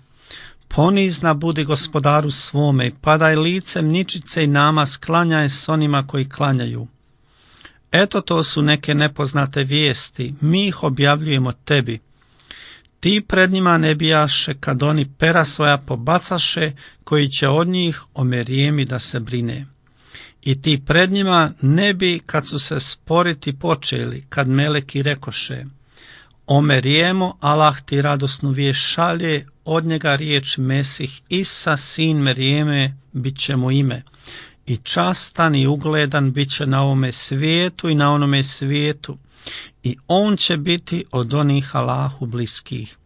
Speaker 2: ponizna budi gospodaru svome i padaj licem ničice i namaz klanjaj s onima koji klanjaju. Eto, to su neke nepoznate vijesti, mi ih objavljujemo tebi. Ti pred njima ne bijaše kad oni pera svoja pobacaše, koji će od njih o Merijemi da se brine. I ti pred njima ne bi kad su se sporiti počeli, kad meleki rekoše: o Merijemo, Allah ti radosnu vijest šalje, od njega riječ Mesih Isa, sin Merijeme, bit će mu ime. I častan i ugledan bit će na ovome svijetu i na onome svijetu. I on će biti od onih Allahu bliskih.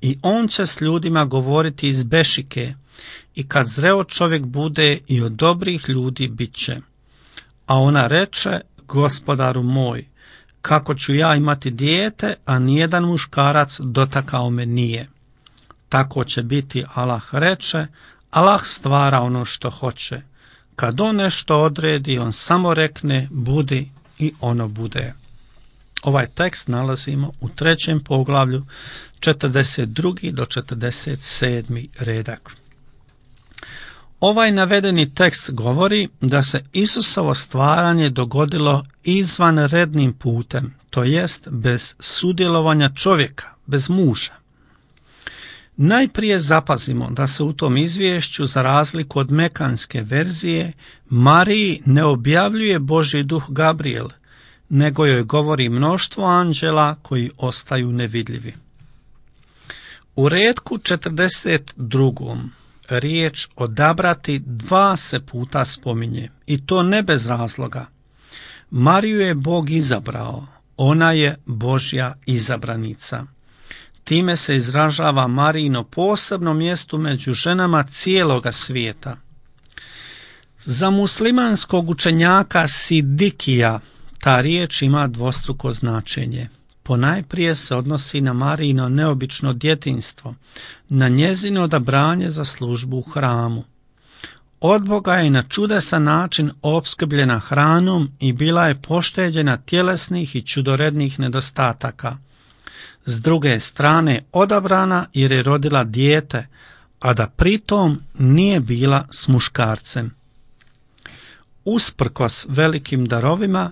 Speaker 2: I on će s ljudima govoriti iz bešike. I kad zreo čovjek bude, i od dobrih ljudi bit će. A ona reče: gospodaru moj, kako ću ja imati dijete, a nijedan muškarac dotakao me nije. Tako će biti, Allah reče, Allah stvara ono što hoće. Kad on nešto odredi, on samo rekne budi i ono bude. Ovaj tekst nalazimo u trećem poglavlju, četrdeset drugi do četrdeset sedmi redak. Ovaj navedeni tekst govori da se Isusovo stvaranje dogodilo izvanrednim putem, to jest bez sudjelovanja čovjeka, bez muža. Najprije zapazimo da se u tom izvješću, za razliku od mekanske verzije, Mariji ne objavljuje Božji duh Gabriel, nego joj govori mnoštvo anđela koji ostaju nevidljivi. U retku četrdeset drugom riječ odabrati dva se puta spominje, i to ne bez razloga. Mariju je Bog izabrao, ona je Božja izabranica. Time se izražava Marijino posebno mjesto među ženama cijeloga svijeta. Za muslimanskog učenjaka Sidikija ta riječ ima dvostruko značenje. Ponajprije se odnosi na Marijino neobično djetinjstvo, na njezino odabranje za službu u hramu. Od Boga je na čudesan način opskrbljena hranom i bila je pošteđena tjelesnih i čudorednih nedostataka. S druge strane odabrana jer je rodila dijete, a da pritom nije bila s muškarcem. Usprkos velikim darovima,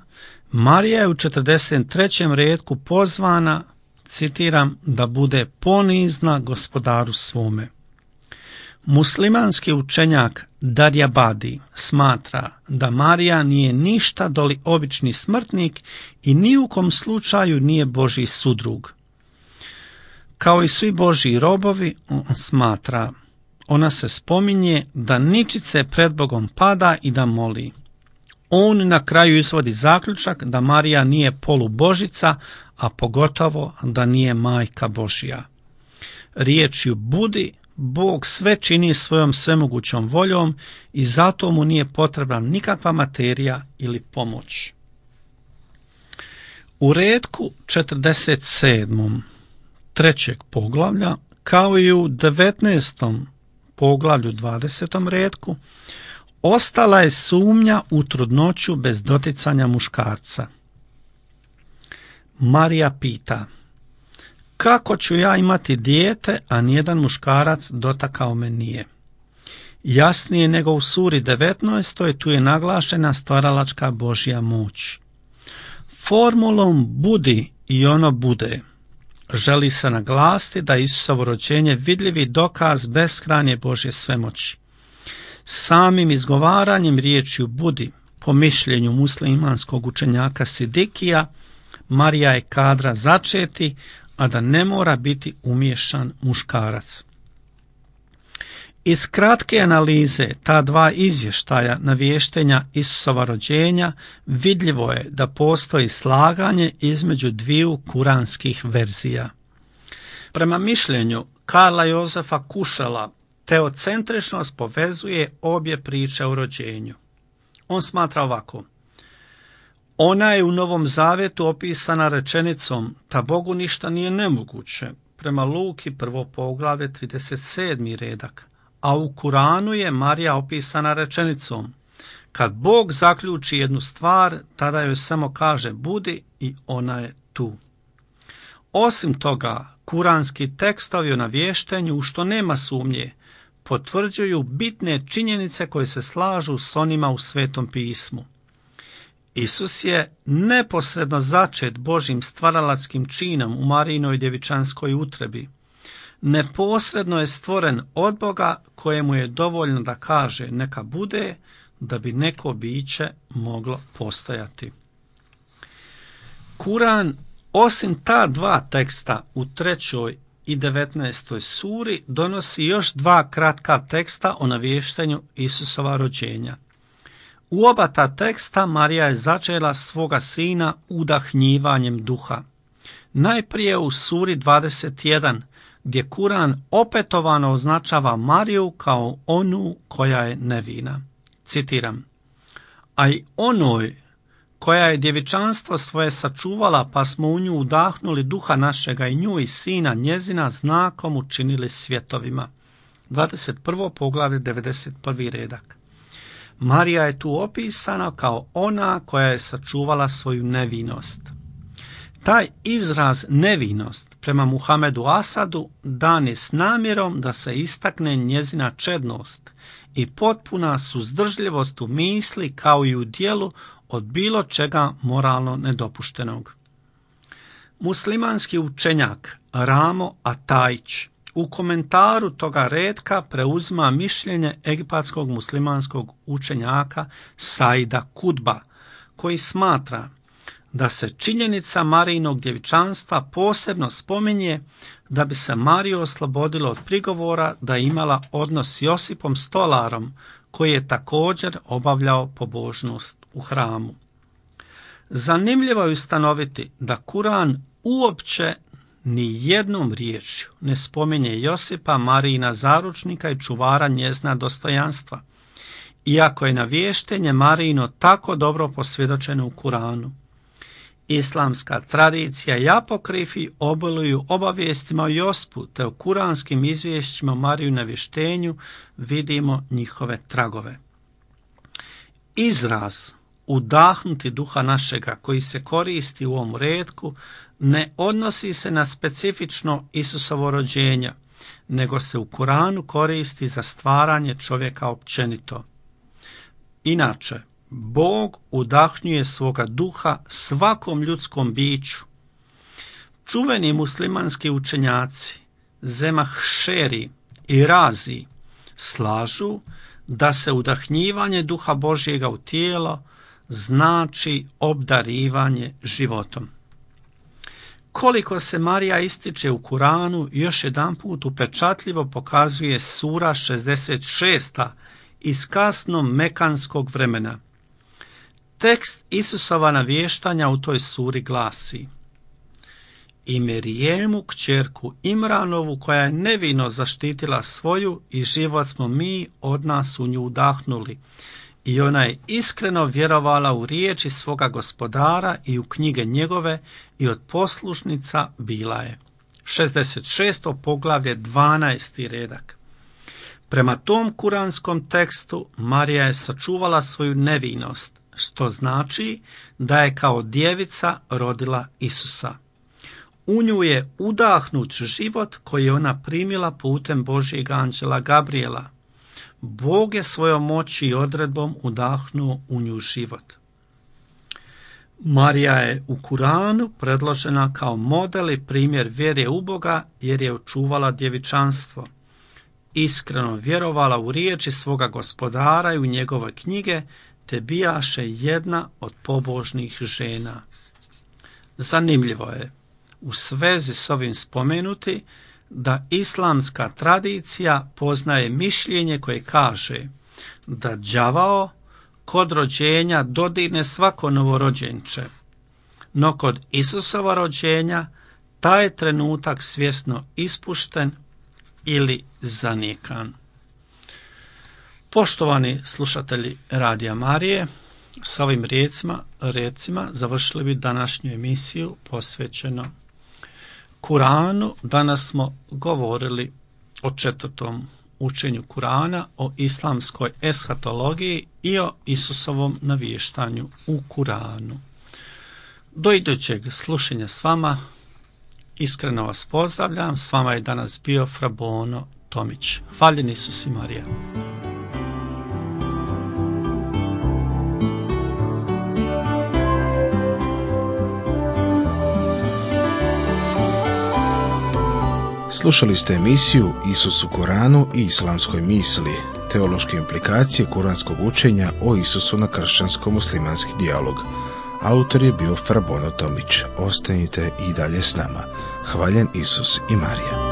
Speaker 2: Marija je u četrdeset trećem retku pozvana, citiram, da bude ponizna gospodaru svome. Muslimanski učenjak Darjabadi smatra da Marija nije ništa doli obični smrtnik i ni u kom slučaju nije Božji sudrug. Kao i svi Božji robovi, on smatra, ona se spominje da ničice pred Bogom pada i da moli. On na kraju izvodi zaključak da Marija nije polubožica, a pogotovo da nije majka Božja. Riječju budi, Bog sve čini svojom svemogućom voljom i zato mu nije potrebna nikakva materija ili pomoć. U retku četrdeset sedmom trećeg poglavlja, kao i u devetnaestom poglavlju dvadesetom retku, ostala je sumnja u trudnoću bez doticanja muškarca. Marija pita, kako ću ja imati dijete, a nijedan muškarac dotakao me nije? Jasnije nego u suri devetnaestoj, tu je naglašena stvaralačka Božja moć. Formulom budi i ono bude želi se naglasiti da je Isusovo rođenje vidljivi dokaz beskrajne Božje svemoći. Samim izgovaranjem riječju budi, po mišljenju muslimanskog učenjaka Sidikija, Marija je kadra začeti, a da ne mora biti umiješan muškarac. Iz kratke analize ta dva izvještaja navještenja Isusova rođenja vidljivo je da postoji slaganje između dviju kuranskih verzija. Prema mišljenju Karla Jozefa Kušela, teocentričnost povezuje obje priče o rođenju. On smatra ovako: ona je u Novom Zavjetu opisana rečenicom ta Bogu ništa nije nemoguće, prema Luki prvo poglavlje trideset sedmi redak, a u Kuranu je Marija opisana rečenicom kad Bog zaključi jednu stvar, tada joj samo kaže budi i ona je tu. Osim toga, kuranski tekstovi o navještenju, u što nema sumnje, potvrđuju bitne činjenice koje se slažu s onima u Svetom pismu. Isus je neposredno začet Božjim stvaralačkim činom u Marijinoj djevičanskoj utrebi. Neposredno je stvoren od Boga kojemu je dovoljno da kaže neka bude, da bi neko biće moglo postojati. Kuran, osim ta dva teksta u trećoj i devetnaestoj suri, donosi još dva kratka teksta o navještenju Isusova rođenja. U oba ta teksta Marija je začela svoga sina udahnjivanjem duha. Najprije u suri dvadeset jedan, gdje Kuran opetovano označava Mariju kao onu koja je nevina. Citiram: a i onoj koja je djevičanstvo svoje sačuvala, pa smo u nju udahnuli duha našega i nju i sina njezina znakom učinili svjetovima. dvadeset prvo poglavlje devedeset prvi redak. Marija je tu opisana kao ona koja je sačuvala svoju nevinost. Taj izraz nevinost prema Muhamedu Asadu dan je s namjerom da se istakne njezina čednost i potpuna suzdržljivost u misli kao i u djelu od bilo čega moralno nedopuštenog. Muslimanski učenjak Ramo Atajić u komentaru toga retka preuzima mišljenje egipatskog muslimanskog učenjaka Saida Kutba, koji smatra da se činjenica Marijinog djevičanstva posebno spominje da bi se Mariju oslobodilo od prigovora da je imala odnos s Josipom Stolarom, koji je također obavljao pobožnost u hramu. Zanimljivo je ustanoviti da Kuran uopće ni jednom riječju ne spominje Josipa, Marijina zaručnika i čuvara njezina dostojanstva, iako je navještenje Marijino tako dobro posvjedočeno u Kuranu. Islamska tradicija i apokrifi obiluju obavijestima o Jospu, te u kuranskim izvješćima o Mariju navještenju vidimo njihove tragove. Izraz udahnuti duha našega koji se koristi u ovom retku ne odnosi se na specifično Isusovo rođenje, nego se u Kuranu koristi za stvaranje čovjeka općenito. Inače, Bog udahnjuje svoga duha svakom ljudskom biću. Čuveni muslimanski učenjaci Zemahšeri i Razi slažu da se udahnjivanje duha Božjega u tijelo znači obdarivanje životom. Koliko se Marija ističe u Kuranu, još jedanput upečatljivo pokazuje sura šezdeset šest iz kasnog mekanskog vremena. Tekst Isusova navještanja u toj suri glasi: i Merijemu, kćerku Imranovu, koja je nevino zaštitila svoju i život smo mi od nas u nju udahnuli. I ona je iskreno vjerovala u riječi svoga gospodara i u knjige njegove i od poslušnica bila je. šezdeset šesto poglavlje, dvanaesti redak. Prema tom kuranskom tekstu Marija je sačuvala svoju nevinost, što znači da je kao djevica rodila Isusa. U nju je udahnut život koji je ona primila putem Božjeg anđela Gabriela. Bog je svojom moći i odredbom udahnuo u nju život. Marija je u Kuranu predložena kao model i primjer vjere u Boga jer je očuvala djevičanstvo. Iskreno vjerovala u riječi svoga gospodara i u njegove knjige, te bijaše jedna od pobožnih žena. Zanimljivo je u svezi s ovim spomenuti da islamska tradicija poznaje mišljenje koje kaže da đavao kod rođenja dodirne svako novorođenče, no kod Isusova rođenja taj je trenutak svjesno ispušten ili zanijekan. Poštovani slušatelji Radija Marije, s ovim riječima, recima završili bi današnju emisiju posvećeno Kuranu. Danas smo govorili o četvrtom učenju Kurana, o islamskoj eshatologiji i o Isusovom navještanju u Kuranu. Do idućeg slušanja s vama iskreno vas pozdravljam. S vama je danas bio Fra Bono Tomić. Hvaljen Isus i Marija.
Speaker 1: Slušali ste emisiju Isus u Koranu i islamskoj misli, teološke implikacije kuranskog učenja o Isusu na kršćansko-muslimanski dijalog. Autor je bio Fra Bono Tomić. Ostanite i dalje s nama. Hvaljen Isus i Marija.